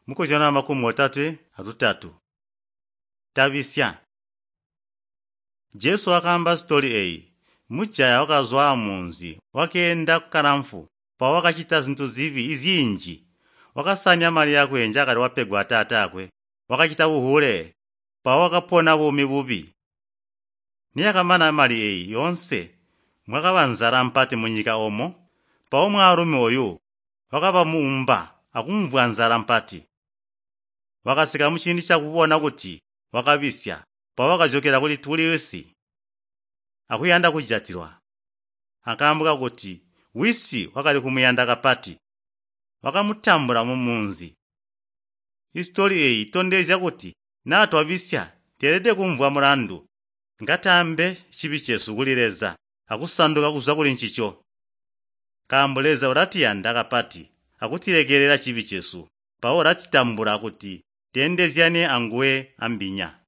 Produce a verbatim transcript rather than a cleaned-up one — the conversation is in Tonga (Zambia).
Mukozyano wamakumi otatwe atutatu. Tabisya. Jesu wakaamba sitoli eyi. Mujaya wakazwa amunzi wakeenda kalamfu mpawo wakacita zintu zibi izinji. Wakasanya mali yakwe njaakali wapegwa ataataakwe. Wakacita buhule mpawo wakapona buumi bubi. Niyakamana mali eyi yoonse mwakaba nzala mpati munyika omo, mpawo mwaalumi oyu wakaba muumba akumvwa nzala mpati. Wakasika muciindi cakubona kuti wakabisya, mpawo wakajokela kuli wisi akuyanda kujatilwa. Akaambo kakuti wisi wakali kumuyanda kapati, wakamutambula mumunzi. Isitoli eyi itondezya kuti naa twabisya tweelede kumvwa mulandu, ngataambe cibi cesu kuli Leza akusanduka kuzwa kuli ncico. Nkaambo Leza ulatuyanda kapati akutilekelela cibi cesu, mpawo ulatutambula kuti tweendezyane anguwe ambinya.